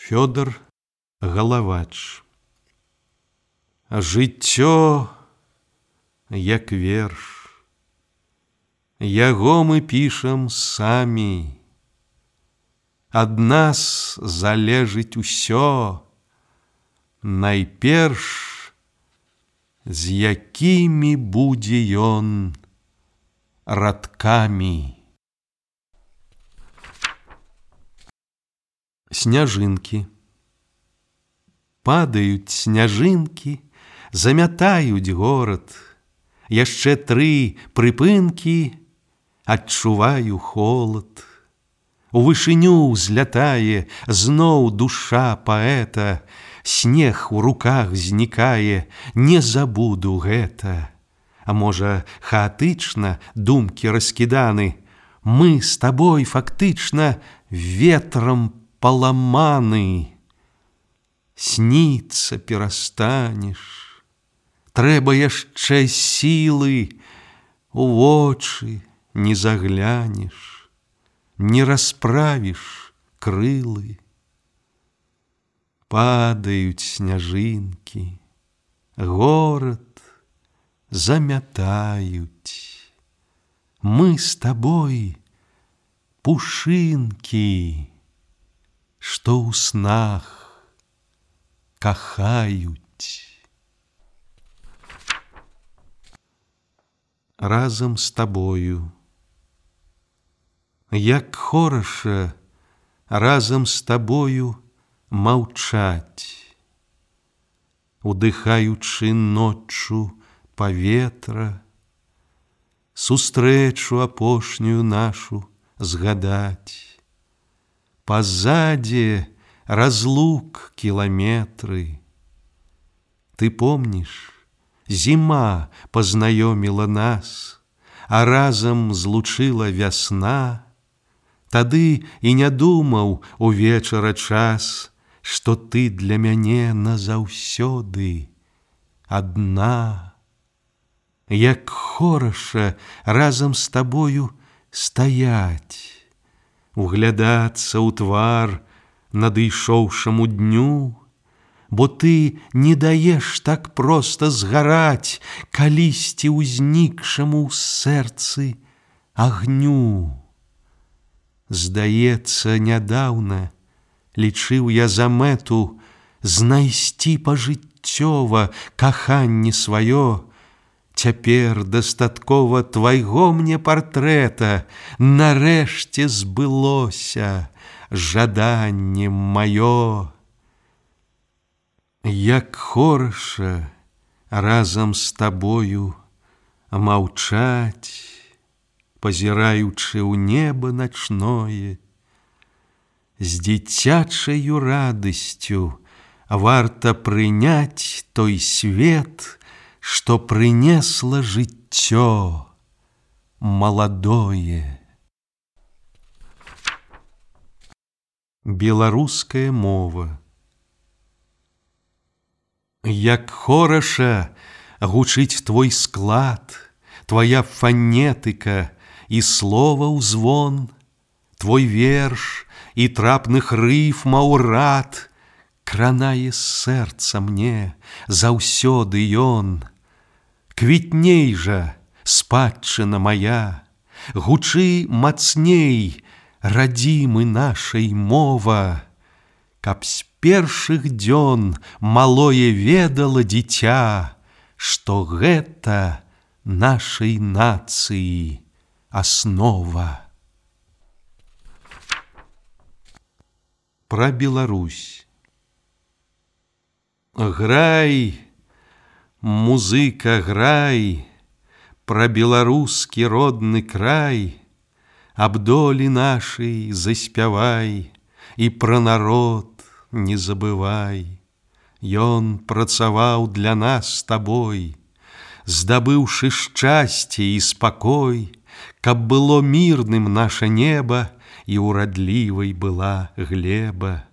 Фёдор Галавач. Жыццё як верш, яго мы пішам самі. Ад нас залежыць усё, найперш, з якімі будзе ён радкамі. Сняжынкі. Падаюць сняжынкі, замятаюць горад. Яшчэ 3 прыпынкі, адчуваю холад. У вышыню ўзлятае зноў душа паэта, снег у руках знікае, не забуду гэта. А можа, хаатычна думкі раскіданы, мы з табой фактычна ветрам паламаны. Сніцца перастанеш, трэба яшчэ сілы, у вочы не заглянеш, не расправіш крылы. Падаюць сняжынкі, горад замятаюць. Мы з табой пушынкі, што ў снах кахаюць. Разам з табою. Як хораша разам з табою маўчаць, удыхаючы ноччу паветра, сустрэчу апошнюю нашу згадаць. Пазадзе разлук кіламетры. Ты помніш, зіма пазнаёміла нас, а разам злучыла вясна. Тады і не думаў увечара час, што ты для мяне назаўсёды адна. Як хораша разам з табою стаяць, углядацца ў твар надышоўшаму дню, бо ты не даеш так проста згараць калісьці ўзнікшаму ў сэрцы агню. Здаецца, нядаўна лічыў я за мэту знайсці пажыццёва каханне сваё. Цяпер дастаткова твайго мне партрэта, нарэшце збылося жаданне маё. Як хораша разам з табою маўчаць, пазіраючы ў неба начное. З дзіцячаю радасцю варта прыняць той свет, што прынесла жыццё маладое. Беларуская мова. Як хораша гучыць твой склад, твоя фанетыка і слова ўзвон, твой верш і трапных рыфмаў рад, кранае сэрца мне заўсёды ён. Квітней жа, спадчына моя, гучы мацней, радзімы нашай мова, каб з першых дзён малое ведала дзіця, што гэта нашай нацыі аснова. Пра Беларусь. Грай, музыка, грай, пра беларускі родны край, аб долі нашай заспявай, і пра народ не забывай. Ён працаваў для нас з табой, здабыўшы шчасце і спакой, каб было мірным наша неба і урадлівай была глеба.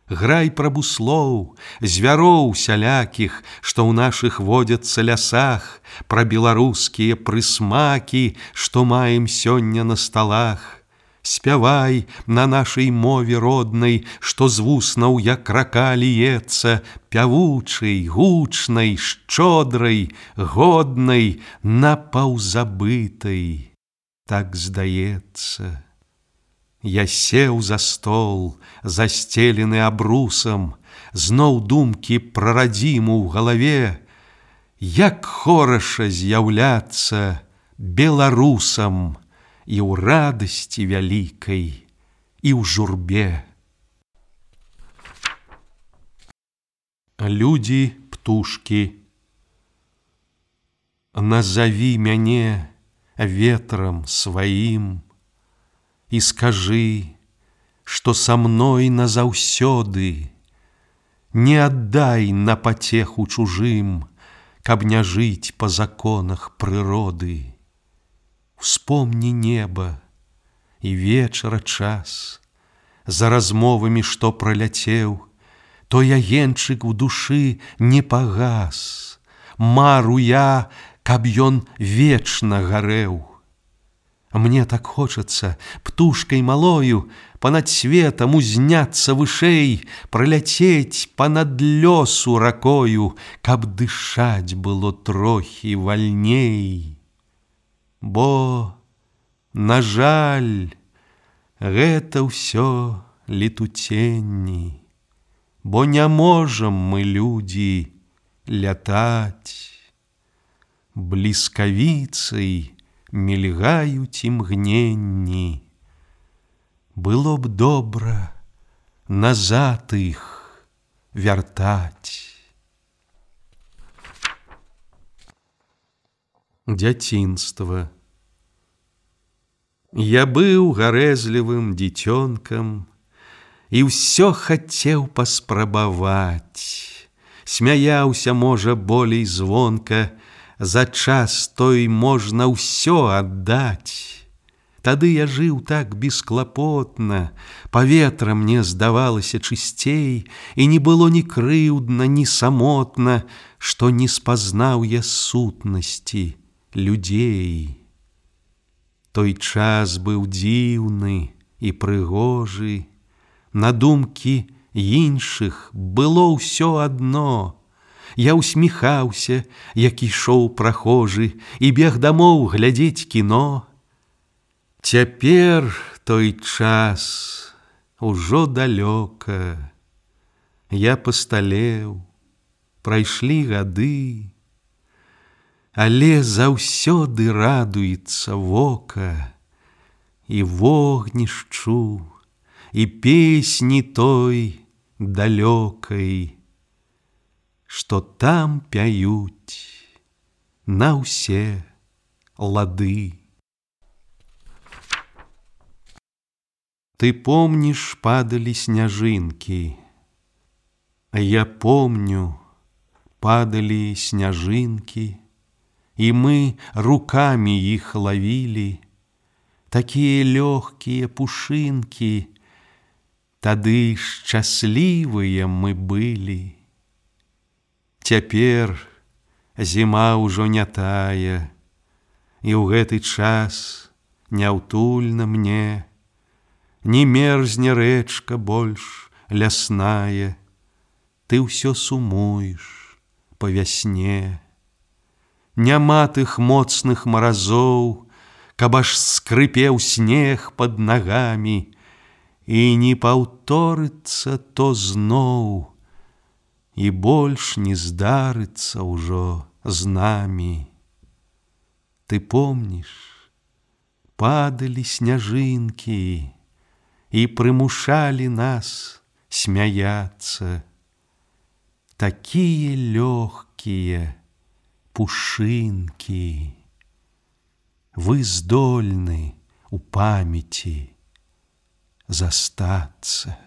Грай пра буслоў, звяроў сялякіх, што ў нашых водзяцца лясах, пра беларускія прысмакі, што маем сёння на сталах. спявай на нашай мове роднай, што з вуснаў як рака ліецца, пявучай, гучнай, шчодрай, годнай, напаўзабытай. Так здаецца. Я сеў за стол, застелены абрусам, зноў думкі пра радзіму ў галаве, як хораша з'яўляцца беларусам і ў радасці вялікай, і ў журбе. Людзі, птушкі, назаві мяне ветрам сваім і скажы, што са мной назаўсёды, не аддай на пацеху чужым, каб не жыць па законах прыроды. Успомні неба і вечара час, за размовамі, што праляцеў, той агеньчык у душы не пагас, мару я, каб ён вечна гарэў. Мне так хочацца птушкай малою панад светам узняцца вышэй, праляцець панад лёсу ракою, каб дышаць было трохі вальней. Бо, на жаль, гэта ўсё летуценні, бо не можам мы, людзі, лятаць. Бліскавіцай мільгаюць імгненні. Было б добра назад іх вяртаць. Дзяцінства. Я быў гарэзлівым дзіцёнкам і ўсё хацеў паспрабаваць. Смяяўся, можа, болей звонка, за час той можна ўсё аддаць. Тады я жыў так бесклапотна, паветра мне здавалася чысцей, і не было ні крыўдна, ні самотна, што не спазнаў я сутнасці людзей. Той час быў дзіўны і прыгожы, на думкі іншых было ўсё адно. Я усміхаўся, як ішоў прахожы, і бег дамоў глядзець кіно. Цяпер той час ужо далёка. Я пасталеў, прайшлі гады, але заўсёды радуецца вока і вогнішчу, і песні той далёкай, што там пяюць на ўсе лады. Ты помніш, падалі сняжынкі, а я помню, падалі сняжынкі, і мы рукамі іх лавілі, такія лёгкія пушынкі, тады шчаслівыя мы былі. Цяпер зіма ўжо не тая, і ў гэты час няўтульна мне, не мерзне рэчка больш лясная, ты ўсё сумуеш па вясне. Няма тых моцных маразоў, каб аж скрыпеў снег пад нагамі, і не паўторыцца то зноў, і больш не здарыцца ўжо з намі. Ты помніш, падалі сняжынкі і прымушалі нас смяяцца. Такія лёгкія пушынкі, вы здольны у памяці застацца.